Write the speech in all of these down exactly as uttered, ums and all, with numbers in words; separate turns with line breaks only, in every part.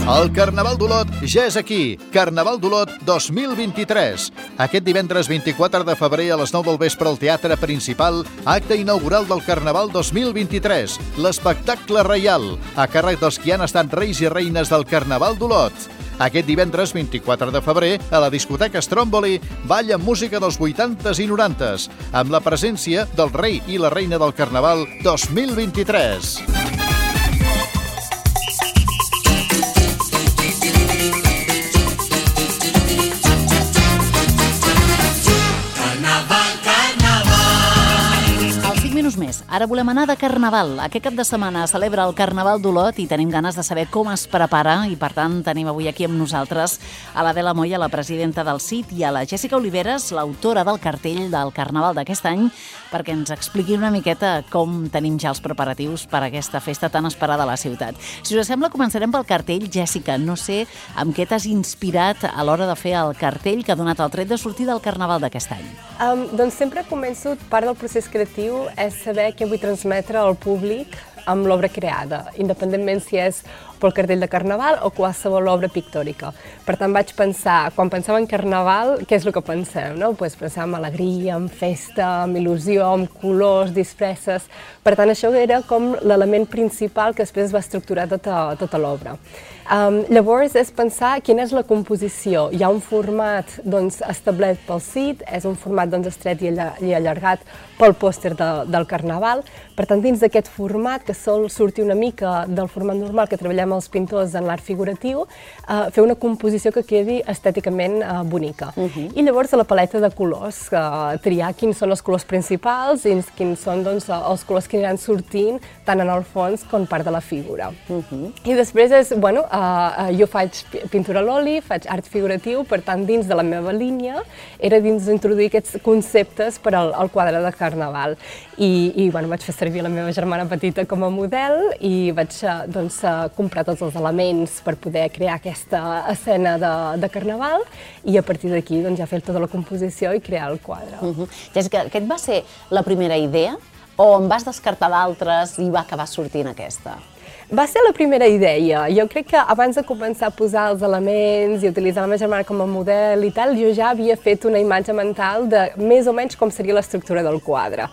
El Carnaval d'Olot ja és aquí. Carnaval d'Olot dos mil vint-i-tres. Aquest divendres vint-i-quatre de febrer a les nou del vespre al Teatre Principal, acte inaugural del Carnaval dos mil vint-i-tres, l'espectacle reial, a càrrec dels qui han estat reis i reines del Carnaval d'Olot. Aquest divendres vint-i-quatre de febrer, a la discoteca Stromboli, balla música dels vuitantes i norantes, amb la presència del rei i la reina del Carnaval dos mil vint-i-tres.
Més. Ara volem anar de Carnaval. Aquest cap de setmana celebra el Carnaval d'Olot i tenim ganes de saber com es prepara i, per tant, tenim avui aquí amb nosaltres a l'Adela Moya, la presidenta del C I T, i a la Jèssica Oliveres, l'autora del cartell del Carnaval d'aquest any, perquè ens expliqui una miqueta com tenim ja els preparatius per a aquesta festa tan esperada a la ciutat. Si us sembla, començarem pel cartell. Jèssica, no sé amb què t'has inspirat a l'hora de fer el cartell que ha donat el tret de sortir del Carnaval d'aquest any.
Um, doncs sempre començo, part del procés creatiu és saber què vull transmetre al públic amb l'obra creada, independentment si és pel cartell de Carnaval o qualsevol obra pictòrica. Per tant, vaig pensar, quan pensava en Carnaval, què és el que pensem? No? Pues pensar en alegria, en festa, en il·lusió, en colors, disfresses. Per tant, això era com l'element principal que després va estructurar tota, tota l'obra. Um, llavors, és pensar quina és la composició. Hi ha un format doncs, establert pel C I T, és un format doncs, estret i, alla, i allargat pel pòster de, del Carnaval. Per tant, dins d'aquest format, que sol sortir una mica del format normal que treballem els pintors en l'art figuratiu, uh, fer una composició que quedi estèticament uh, bonica. Uh-huh. I llavors a la paleta de colors, uh, triar quins són els colors principals i quins són doncs, els colors que aniran sortint tant en el fons com part de la figura. Uh-huh. I després és, bueno, uh, uh, jo faig pintura a l'oli, faig art figuratiu, per tant dins de la meva línia era dins d'introduir aquests conceptes per al, al quadre de Carnaval. I, i bueno, vaig fer servir la meva germana petita com a model i vaig doncs, comprar tots els elements per poder crear aquesta escena de, de Carnaval i a partir d'aquí doncs, ja fer tota la composició i crear el quadre.
Uh-huh. Jèssica, aquest va ser la primera idea o en vas descartar d'altres i va acabar sortint aquesta?
Va ser la primera idea. Jo crec que abans de començar a posar els elements i utilitzar la meva germana com a model i tal, jo ja havia fet una imatge mental de més o menys com seria l'estructura del quadre.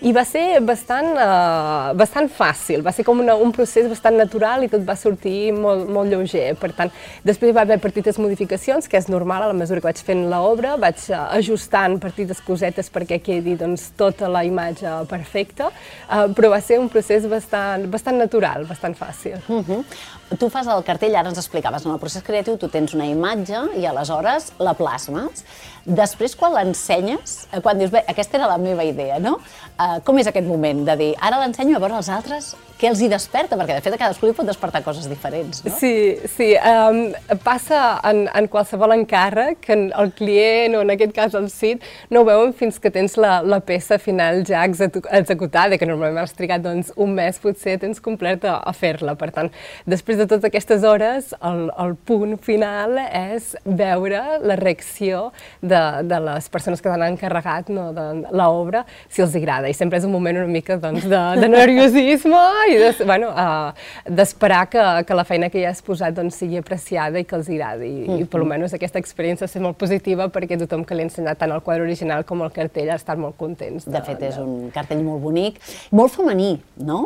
I va ser bastant, uh, bastant fàcil, va ser com una, un procés bastant natural i tot va sortir molt, molt lleuger. Per tant, després va haver petites modificacions, que és normal a la mesura que vaig fent l'obra, vaig uh, ajustant petites cosetes perquè quedi doncs, tota la imatge perfecta, uh, però va ser un procés bastant, bastant natural, bastant fàcil.
Uh-huh. Tu fas el cartell, ara ens explicaves, en el procés creatiu tu tens una imatge i aleshores la plasmes. Després, quan l'ensenyes, quan dius, bé, aquesta era la meva idea, no? Uh, com és aquest moment de dir, ara l'ensenyo a veure els altres, què els hi desperta? Perquè, de fet, a cadascú li pot despertar coses diferents, no?
Sí, sí. Um, passa en, en qualsevol encàrrec que el client, o en aquest cas el C I T, no ho veuen fins que tens la, la peça final ja executada, que normalment has trigat doncs, un mes, potser tens complert a, a fer-la. Per tant, després de totes aquestes hores, el, el punt final és veure la reacció de, de les persones que t'han encarregat no, de l'obra, si els agrada. I sempre és un moment una mica doncs, de, de nerviosisme i de, bueno, uh, d'esperar que, que la feina que hi has posat doncs, sigui apreciada i que els agradi. I, mm-hmm. i per almenys aquesta experiència ha estat molt positiva perquè tothom que li ha ensenyat tant el quadre original com el cartell ha estat molt contents.
De, de fet, és un cartell molt bonic, molt femení, no?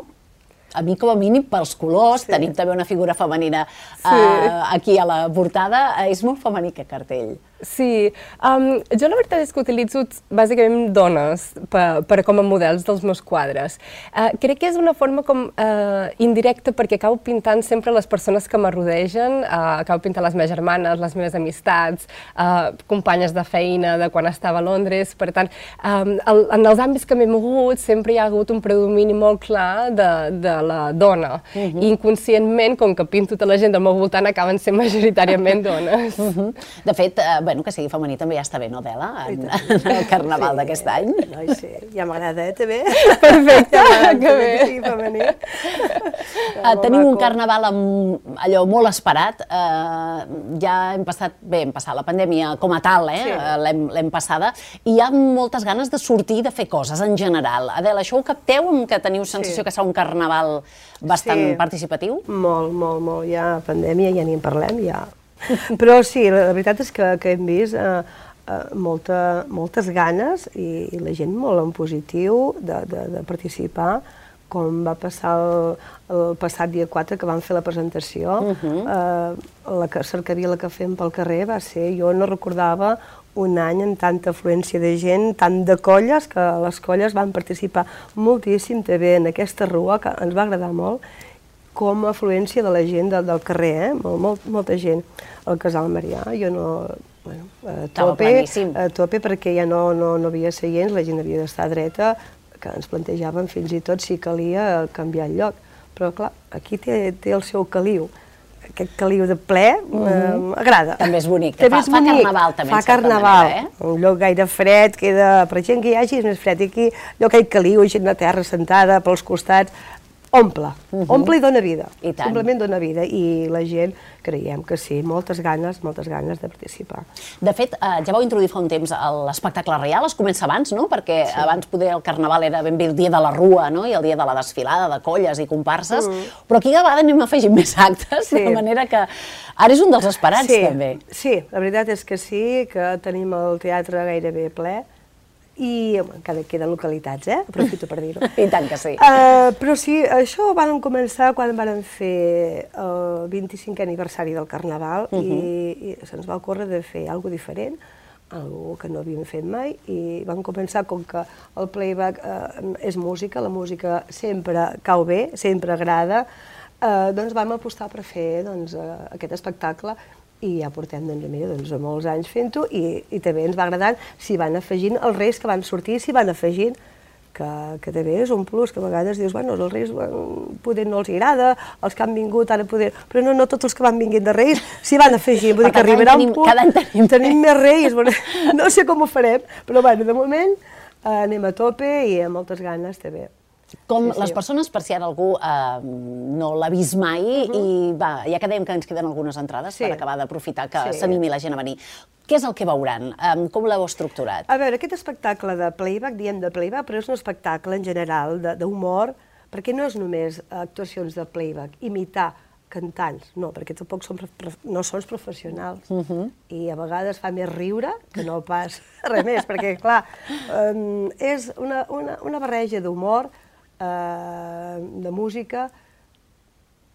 A mi, com a mínim, pels colors, sí. Tenim també una figura femenina sí. uh, aquí a la portada, és molt femení aquest cartell.
Sí, um, jo la veritat és que utilitzo bàsicament dones per, per com a models dels meus quadres. Uh, crec que és una forma com uh, indirecta perquè acabo pintant sempre les persones que m'arrodegen, uh, acabo pintant les meves germanes, les meves amistats, uh, companyes de feina de quan estava a Londres, per tant, um, el, en els àmbits que m'he mogut sempre hi ha hagut un predomini molt clar de, de la dona. Uh-huh. I inconscientment, com que pinto tota la gent del meu voltant, acaben sent majoritàriament dones.
Uh-huh. De fet, uh, bueno, que sigui femení també ja està bé, no, Adela? En el carnaval d'aquest any.
No, sí, ja m'agrada, eh, també.
Perfecte, que bé.
Que sigui femení.
Tenim un carnaval allò molt esperat. Ja hem passat, bé, hem passat la pandèmia com a tal, eh? L'hem passada, i hi ha moltes ganes de sortir i de fer coses en general. Adela, això ho capteu, que teniu sensació que serà un carnaval bastant participatiu?
Molt, molt, molt. Ja pandèmia, ja ni en parlem, ja. Però sí, la veritat és que hem vist moltes ganes i la gent molt en positiu de participar, com va passar el passat dia quatre, que vam fer la presentació. La cercavila que fem pel carrer va ser, jo no recordava un any amb tanta afluència de gent, tant de colles, que les colles van participar moltíssim també en aquesta rua, que ens va agradar molt, com a afluència de la gent del carrer, molta gent. Al Casal Marià, jo no... a tope, perquè ja no hi havia seients, la gent havia d'estar dreta, que ens plantejàvem fins i tot si calia canviar el lloc. Però, clar, aquí té el seu caliu. Aquest caliu de ple agrada.
També és bonic. Fa carnaval, també, en certa manera, eh?
Un lloc gaire fred, queda... Per gent que hi hagi és més fred. I aquí, allò que hi caliu, gent de terra sentada pels costats, omple. Omple i dona vida. Simplement dona vida. I la gent, creiem que sí, moltes ganes, moltes ganes de participar.
De fet, ja vau introduir fa un temps l'espectacle reial, es comença abans, no? Perquè abans poder el carnaval era ben bé el dia de la rua, no? I el dia de la desfilada, de colles i comparses, però aquí cada vegada anem afegint més actes, de manera que ara és un dels esperats, també.
Sí, la veritat és que sí, que tenim el teatre gairebé ple, i encara queden localitats, eh? Aprofito per dir-ho.
I tant que sí.
Però sí, això ho vam començar quan vam fer el vint-i-cinquè aniversari del Carnaval i se'ns va ocórrer de fer alguna cosa diferent, alguna que no havíem fet mai, i vam començar, com que el playback és música, la música sempre cau bé, sempre agrada, doncs vam apostar per fer aquest espectacle. I ja portem molts anys fent-ho i també ens va agradar si van afegint els reis que van sortir, si van afegint, que també és un plus, que a vegades dius, bueno, els reis poder no els agrada, els que han vingut ara poder... Però no tots els que van vinguent de reis s'hi van afegir, vull dir que arribarà un punt...
Cada any
tenim més reis, no sé com ho farem, però bueno, de moment anem a tope i amb moltes ganes també.
Com les persones, per si ara algú no l'ha vist mai, i ja que dèiem que ens queden algunes entrades per acabar d'aprofitar que s'animi la gent a venir. Què és el que veuran? Com l'heu estructurat?
A veure, aquest espectacle de playback, diem de playback, però és un espectacle en general d'humor, perquè no és només actuacions de playback, imitar cantants, no, perquè tampoc no som professionals i a vegades fa més riure que no pas res més, perquè clar, és una barreja d'humor, de música,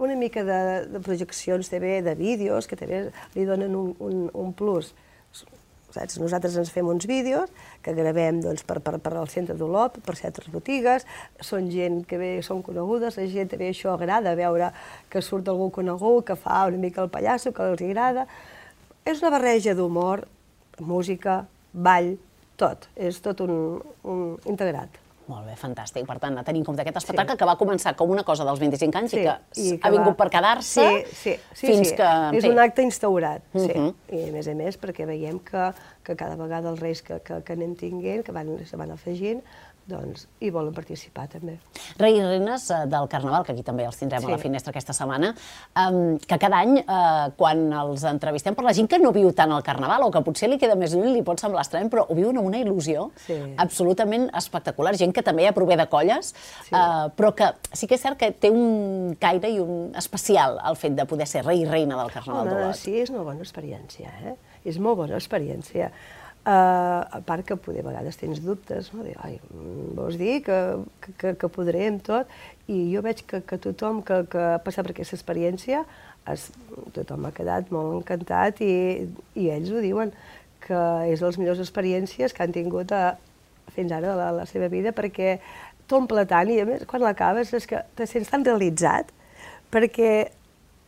una mica de projeccions també, de vídeos, que també li donen un plus. Nosaltres ens fem uns vídeos que gravem per al centre d'Olot, per certes botigues, són gent que bé són conegudes, la gent també això agrada, veure que surt algú conegut, que fa una mica el pallasso, que els agrada. És una barreja d'humor, música, ball, tot, és tot un integrat.
Molt bé, fantàstic. Per tant, a tenir en compte aquest espectacle que va començar com una cosa dels vint-i-cinc anys i que ha vingut per quedar-se fins que...
És un acte instaurat, sí. I a més a més perquè veiem que cada vegada els reis que anem tinguent, que se van afegint, doncs hi volen participar també.
Reis i reines del Carnaval, que aquí també els tindrem a la finestra aquesta setmana, que cada any, quan els entrevistem, per la gent que no viu tant el Carnaval o que potser li queda més lluny, li pot semblar estrany, però ho viuen amb una il·lusió absolutament espectacular. Gent que també ja prové de colles, però que sí que és cert que té un caire i un especial el fet de poder ser rei i reina del Carnaval d'Olot.
Sí, és una bona experiència, eh? És molt bona experiència. A part que a vegades tens dubtes, vols dir que podré amb tot, i jo veig que tothom que ha passat per aquesta experiència, tothom ha quedat molt encantat i ells ho diuen, que és de les millors experiències que han tingut fins ara a la seva vida, perquè t'omple tant i a més quan l'acabes és que te sents tan realitzat, perquè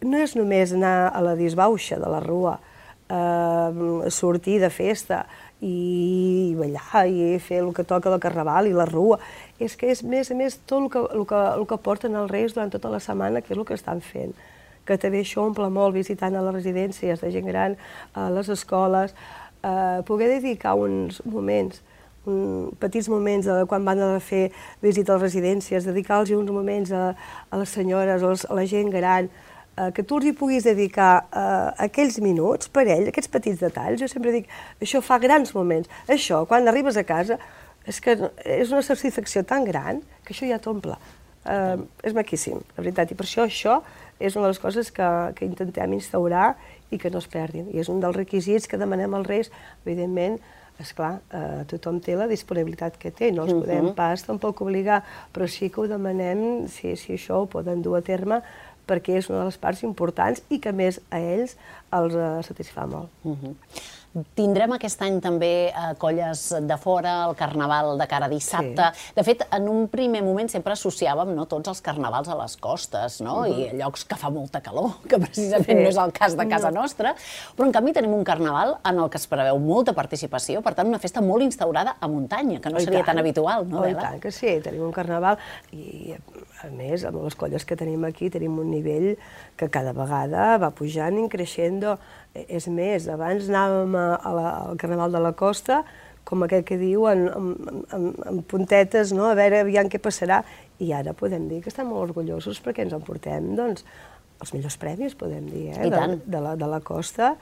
no és només anar a la disbauxa de la rua, sortir de festa i ballar i fer el que toca del Carnaval i la rua. És que és més a més tot el que porten els reis durant tota la setmana, que és el que estan fent. Que també això omple molt visitant a les residències de gent gran, a les escoles. eh, poder dedicar uns moments, un, petits moments de, quan van a fer visita a les residències, dedicar-los uns moments a, a les senyores, a, les, a la gent gran, eh, que tu els hi puguis dedicar eh, aquells minuts per ell, aquests petits detalls. Jo sempre dic, això fa grans moments. Això, quan arribes a casa, és que és una satisfacció tan gran que això ja t'omple. Eh, és maquíssim, la veritat, i per això això és una de les coses que, que intentem instaurar i que no es perdin. I és un dels requisits que demanem als Reis. Evidentment, esclar, eh, tothom té la disponibilitat que té, no els uh-huh. podem pas tampoc obligar, però sí que ho demanem si, si això ho poden dur a terme, perquè és una de les parts importants i que a més a ells els eh, satisfà molt.
Uh-huh. Tindrem aquest any també eh, colles de fora, el carnaval de cara a dissabte. Sí. De fet, en un primer moment sempre associàvem, no, tots els carnavals a les costes, no? Uh-huh. I a llocs que fa molta calor, que precisament sí. no és el cas de casa no. nostra. Però en canvi tenim un carnaval en el que es preveu molta participació, per tant una festa molt instaurada a muntanya, que no oh, seria tan habitual, no,
Adela? Oh, i tant que sí, tenim un carnaval i a més amb les colles que tenim aquí tenim un nivell que cada vegada va pujant i creixent. És més, abans anàvem a, a la, al Carnaval de la Costa, com aquell que diu, en, en, en, en puntetes, no? A veure aviam què passarà. I ara podem dir que estem molt orgullosos perquè ens emportem, doncs, els millors premis, podem dir, eh?
I tant.
De, de, la, de la Costa.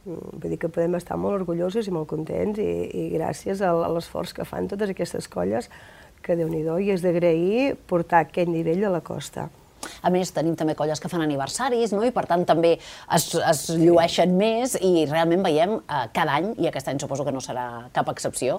Vull dir que podem estar molt orgullosos i molt contents i, i gràcies a, a l'esforç que fan totes aquestes colles, que Déu-n'hi-do, i és d'agrair portar aquest nivell a la Costa.
A més, tenim també colles que fan aniversaris, no? I per tant també es, es llueixen més i realment veiem eh, cada any, i aquest any suposo que no serà cap excepció,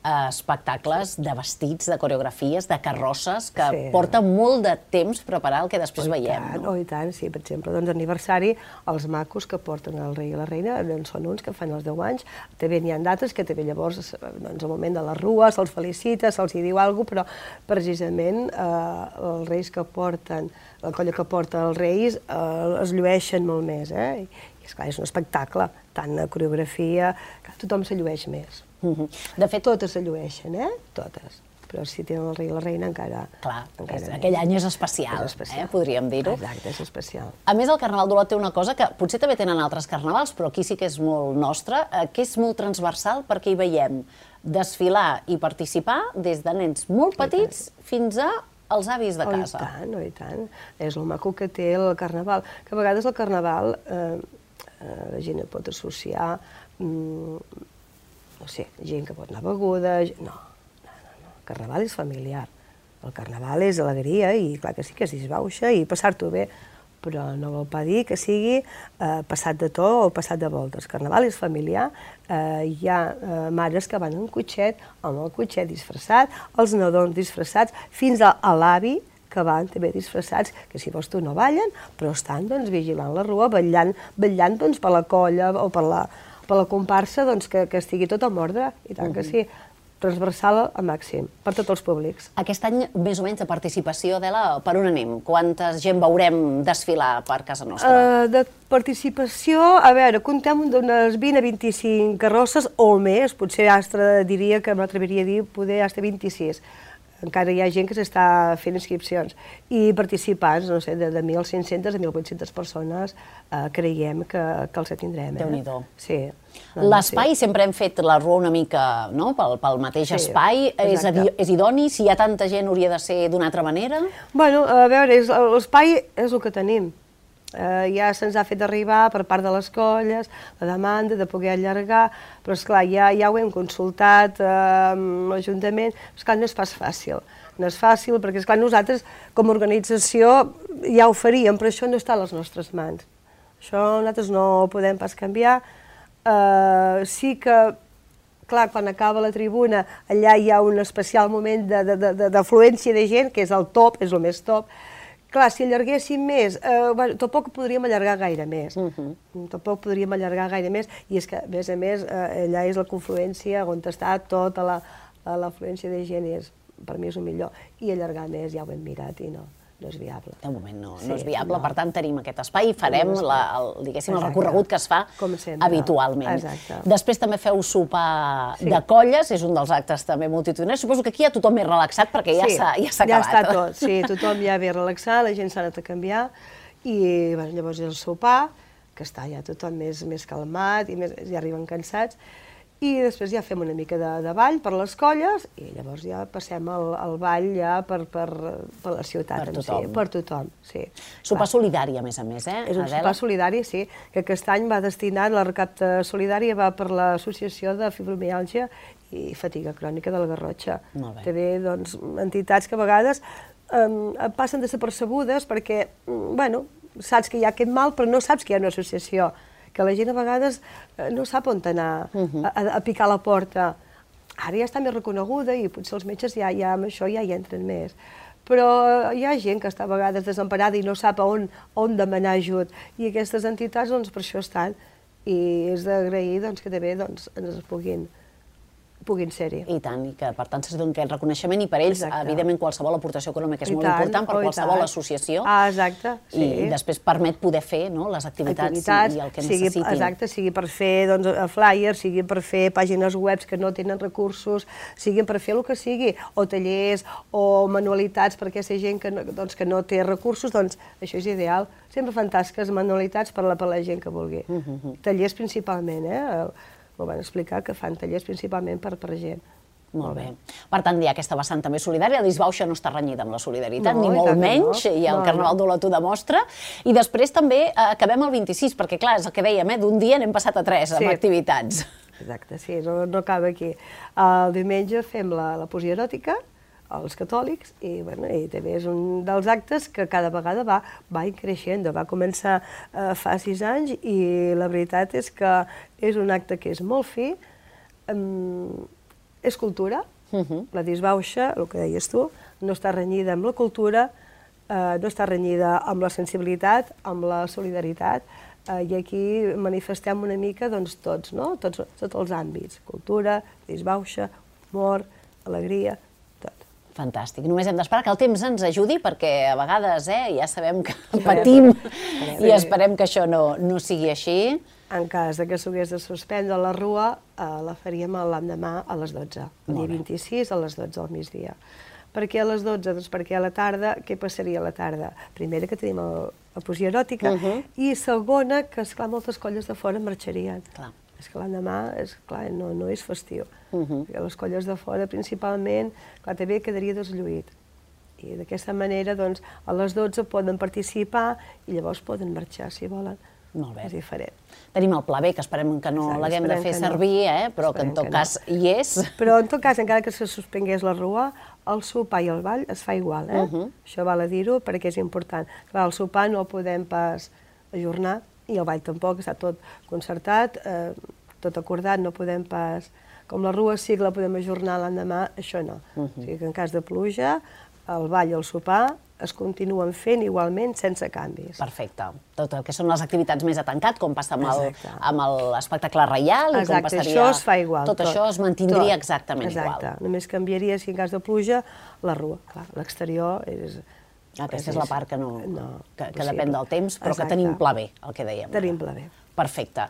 eh, espectacles de vestits, de coreografies, de carrosses, que sí. porta molt de temps preparar el que després oh, veiem.
Tant,
no?
Oh, i tant, sí, per exemple, doncs aniversari, els macos que porten el rei i la reina, doncs són uns que fan els deu anys, també n'hi ha d'altres que també llavors, doncs al moment de la rua, se'ls felicita, se'ls hi diu alguna cosa, però precisament eh, els reis que porten la colla que porta els Reis eh, es llueixen molt més, eh? I esclar, és un espectacle, tant la coreografia, que tothom se llueix més.
Uh-huh. De fet,
totes se llueixen, eh? Totes. Però si tenen el rei i la reina encara...
Clar,
encara
és, aquell any és especial,
és especial.
Eh? Podríem dir-ho.
Exacte, és especial.
A més, el Carnaval d'Olot té una cosa que potser també tenen altres carnavals, però aquí sí que és molt nostra, eh, que és molt transversal perquè hi veiem desfilar i participar des de nens molt petits fins a els avis de casa.
Oh, i tant, oh, i tant. És el maco que té el carnaval. Que a vegades el carnaval eh, eh, la gent et pot associar, mm, no sé, gent que pot anar beguda... No, no, no, no. El carnaval és familiar. El carnaval és alegria i clar que sí que es disbauxa i passar-t'ho bé, però no vol pas dir que sigui eh, passat de to o passat de voltes. El carnaval és familiar, eh, hi ha eh, mares que van en cotxet, amb el cotxet disfressat, els nadons disfressats, fins a, a l'avi que van també disfressats, que si vols tu no ballen, però estan doncs, vigilant la rua, vetllant, vetllant doncs, per la colla o per la, per la comparsa doncs, que, que estigui tot en ordre, i tant que sí. Transversal al màxim, per tots els públics.
Aquest any, més o menys, de participació, Adela, per on anem? Quanta gent veurem desfilar per casa nostra?
Uh, de participació, a veure, comptem d'unes vint a vint-i-cinc carrosses o més, potser Astra diria que m'atreviria a dir poder Astra vint-i-sis. Encara hi ha gent que s'està fent inscripcions. I participants, no sé, de, de mil cinc-cents a mil vuit-cents persones eh, creiem que, que els tindrem. Eh?
Déu-n'hi-do.
Sí.
L'espai, sí. Sempre hem fet la rua una mica no? pel, pel mateix sí, espai. És, és idoni? Si hi ha tanta gent, hauria de ser d'una altra manera?
Bueno, a veure, l'espai és el que tenim. Uh, ja se'ns ha fet arribar per part de les colles la demanda de poder allargar, però esclar, ja, ja ho hem consultat uh, amb l'Ajuntament, esclar, no és pas fàcil. No és fàcil perquè, esclar, nosaltres com a organització ja ho faríem, però això no està a les nostres mans. Això nosaltres no ho podem pas canviar. Uh, sí que, clar, quan acaba la tribuna, allà hi ha un especial moment d'afluència de, de, de gent, que és el top, és el més top. Clar, si allarguéssim més, eh, bueno, tampoc podríem allargar gaire més. Uh-huh. Tampoc podríem allargar gaire més, i és que, a més a més, eh, allà és la confluència on està tota l'afluència de gent, és, per mi és el millor. I allargar més ja ho hem mirat i no, no és viable.
De moment no, sí, no és viable, no. Per tant tenim aquest espai i farem la, el, diguéssim, el recorregut que es fa habitualment.
Exacte.
Després també feu sopar
sí.
de colles, és un dels actes també multitudinaris. Suposo que aquí ja tothom és relaxat perquè ja s'ha
sí,
ja
ja
acabat.
Ja està tot, sí, tothom ja ve relaxat, la gent s'ha anat a canviar i bueno, llavors és el sopar, que està ja tothom més, més calmat i més, ja arriben cansats. i després ja fem una mica de, de ball per les colles i llavors ja passem el, el ball ja per, per, per la ciutat.
Per tothom.
Sí, per tothom, sí.
Sopar solidari, a més a més, eh,
És un
Adela?
sopar solidari, sí, que aquest any va destinat, la recapta solidària va per l'Associació de Fibromiàlgia i Fatiga Crònica de la Garrotxa.
Molt bé.
També, doncs, entitats que a vegades eh, passen desapercebudes perquè, bueno, saps que hi ha aquest mal, però no saps que hi ha una associació, que la gent a vegades no sap on anar, a, a picar la porta. Ara ja està més reconeguda i potser els metges ja, ja amb això ja hi entren més. Però hi ha gent que està a vegades desemparada i no sap on, on demanar ajut. I aquestes entitats, doncs, per això estan. I és d'agrair doncs, que també doncs, ens puguin, puguin ser-hi.
I tant, i que per tant se doni aquest reconeixement i per ells,
Exacte.
evidentment, qualsevol aportació econòmica és
I
molt
tant,
important per
oh, i
qualsevol
tant.
associació.
Ah, exacte, sí.
I després permet poder fer, no?, les activitats,
activitats
i el que
sigui,
necessitin.
Exacte, sigui per fer doncs, flyers, sigui per fer pàgines webs que no tenen recursos, sigui per fer el que sigui, o tallers, o manualitats per aquesta gent que no, doncs, que no té recursos, doncs això és ideal. Sempre fan tasques, manualitats per la, per la gent que vulgui. Uh -huh. Tallers principalment, eh? M'ho van explicar, que fan tallers principalment per, per gent.
Molt bé. Per tant, hi ha aquesta vessant també solidària. La disbauxa no està renyida amb la solidaritat,
No,
ni
i
molt
tant que
menys,
no.
i el
No,
Carnaval
no.
d'Olot ho demostra. I després també eh, acabem el vint-i-sis, perquè clar, és el que dèiem, eh, d'un dia n'hem passat a tres amb
Sí.
activitats.
Exacte, sí, no, no acaba aquí. El diumenge fem la, la poesia eròtica, els catòlics, i, bueno, i també és un dels actes que cada vegada va, va creixent. Va començar eh, fa sis anys i la veritat és que és un acte que és molt fi, um, és cultura, uh -huh. La disbauxa, el que deies tu, no està renyida amb la cultura, eh, no està renyida amb la sensibilitat, amb la solidaritat, eh, i aquí manifestem una mica doncs, tots, no? tots, tots els àmbits, cultura, disbauxa, humor, alegria, tot.
Fantàstic. Només hem d'esperar que el temps ens ajudi, perquè a vegades eh, ja sabem que patim i esperem que això no, no sigui així.
En cas de que s'hagués de suspendre la rua, eh, la faríem l'endemà a les dotze, el dia vint-i-sis a les dotze al migdia. Per què a les dotze? Doncs perquè a la tarda, què passaria a la tarda? Primera, que tenim el, la poesia eròtica, uh -huh. i segona, que esclar, moltes colles de fora marxarien.
Clar.
És que l'endemà, és clar, no, no és festiu.
Uh -huh.
Perquè les colles de fora, principalment, clar, també quedaria deslluït. I d'aquesta manera, doncs, a les dotze poden participar i llavors poden marxar, si volen.
Molt bé.
És diferent.
Tenim el pla B, que esperem que no l'haguem de fer
que no.
servir, eh? Però que en
Esperem
tot
que
cas
no.
hi és.
Però en tot cas, encara que se suspengués la rua, el sopar i el ball es fa igual, eh?
Uh -huh.
Això val a dir-ho perquè és important. Clar, el sopar no el podem pas ajornar i el ball tampoc, està tot concertat, eh, tot acordat, no podem pas... Com la rua sí que la podem ajornar l'endemà, això no. Uh -huh. O sigui que en cas de pluja, el ball i el sopar es continuen fent igualment sense canvis.
Perfecte. Tot el que són les activitats més a tancat, com passa amb el-
Exacte.
amb l'espectacle reial, i com
Exacte,
passaria...
això es fa igual.
Tot, això es mantindria
tot.
exactament
Exacte.
igual.
Només canviaria, si en cas de pluja, la rua. Clar, l'exterior és...
Aquesta és la part que, no,
no,
que, que
possible.
depèn del temps, però
Exacte.
que tenim pla B, el que dèiem.
Tenim pla B.
Perfecte.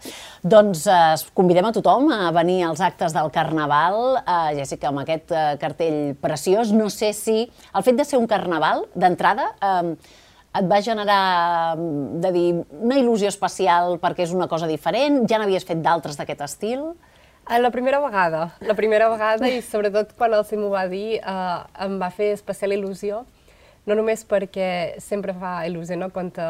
Doncs eh, convidem a tothom a venir als actes del Carnaval. Eh, Jessica, amb aquest eh, cartell preciós, no sé si el fet de ser un carnaval, d'entrada, eh, et va generar, de dir, una il·lusió especial perquè és una cosa diferent? Ja n'havies fet d'altres d'aquest estil?
La primera vegada, la primera vegada i sobretot quan el Sim ho va dir eh, em va fer especial il·lusió, no només perquè sempre fa il·lusió, no?, quan te,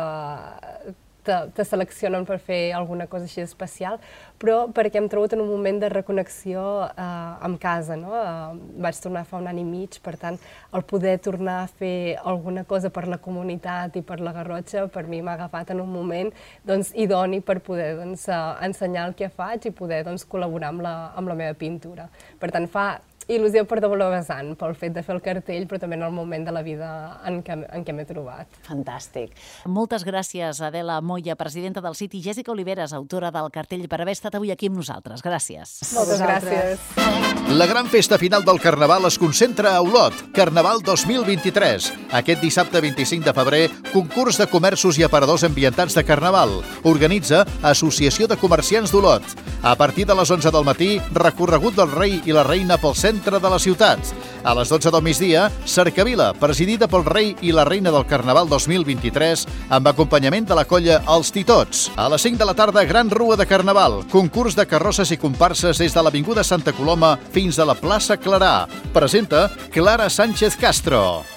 te, te seleccionen per fer alguna cosa així especial, però perquè hem trobat en un moment de reconnexió eh, amb casa, no? Eh, vaig tornar fa un any i mig, per tant, el poder tornar a fer alguna cosa per la comunitat i per la Garrotxa, per mi m'ha agafat en un moment doncs, idoni per poder doncs, eh, ensenyar el que faig i poder doncs, col·laborar amb la, amb la meva pintura. Per tant, fa il·lusió per doble vessant, pel fet de fer el cartell, però també en el moment de la vida en què, en què m'he trobat.
Fantàstic. Moltes gràcies, Adela Moya, presidenta del Cit, i Jessica Oliveres, autora del cartell, per haver estat avui aquí amb nosaltres. Gràcies.
Moltes gràcies.
La gran festa final del Carnaval es concentra a Olot, Carnaval dos mil vint-i-tres. Aquest dissabte vint-i-cinc de febrer, concurs de comerços i aparadors ambientats de Carnaval. Organitza Associació de Comerciants d'Olot. A partir de les onze del matí, recorregut del rei i la reina pel centre de la ciutat. A les dotze del migdia, Cercavila, presidida pel rei i la reina del Carnaval dos mil vint-i-tres, amb acompanyament de la colla Els Titots. A les cinc de la tarda, gran rua de Carnaval, concurs de carrosses i comparses des de l'Avinguda Santa Coloma fins a la plaça Clarà. Presenta Clara Sánchez Castro.